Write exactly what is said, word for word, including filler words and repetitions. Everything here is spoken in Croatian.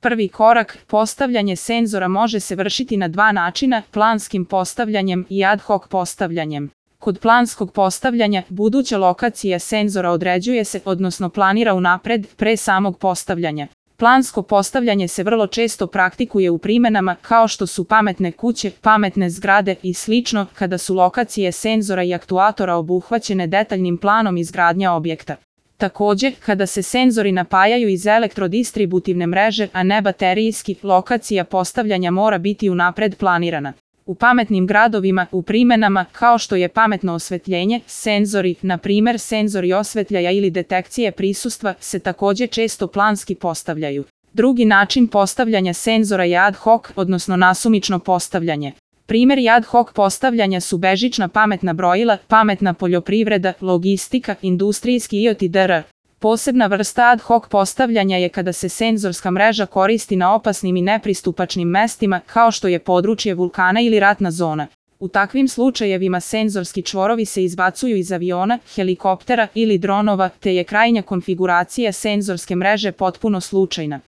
Prvi korak, postavljanje senzora može se vršiti na dva načina, planskim postavljanjem i ad hoc postavljanjem. Kod planskog postavljanja, buduća lokacija senzora određuje se, odnosno planira unapred, pre samog postavljanja. Plansko postavljanje se vrlo često praktikuje u primenama kao što su pametne kuće, pametne zgrade i slično, kada su lokacije senzora i aktuatora obuhvaćene detaljnim planom izgradnje objekta. Takođe, kada se senzori napajaju iz elektrodistributivne mreže, a ne baterijski, lokacija postavljanja mora biti unapred planirana. U pametnim gradovima, u primenama, kao što je pametno osvetljenje, senzori, na primer senzori osvetljaja ili detekcije prisustva, se takođe često planski postavljaju. Drugi način postavljanja senzora je ad hoc, odnosno nasumično postavljanje. Primeri ad hoc postavljanja su bežična pametna brojila, pametna poljoprivreda, logistika, industrijski I O T itd. Posebna vrsta ad hoc postavljanja je kada se senzorska mreža koristi na opasnim i nepristupačnim mestima, kao što je područje vulkana ili ratna zona. U takvim slučajevima senzorski čvorovi se izbacuju iz aviona, helikoptera ili dronova, te je krajnja konfiguracija senzorske mreže potpuno slučajna.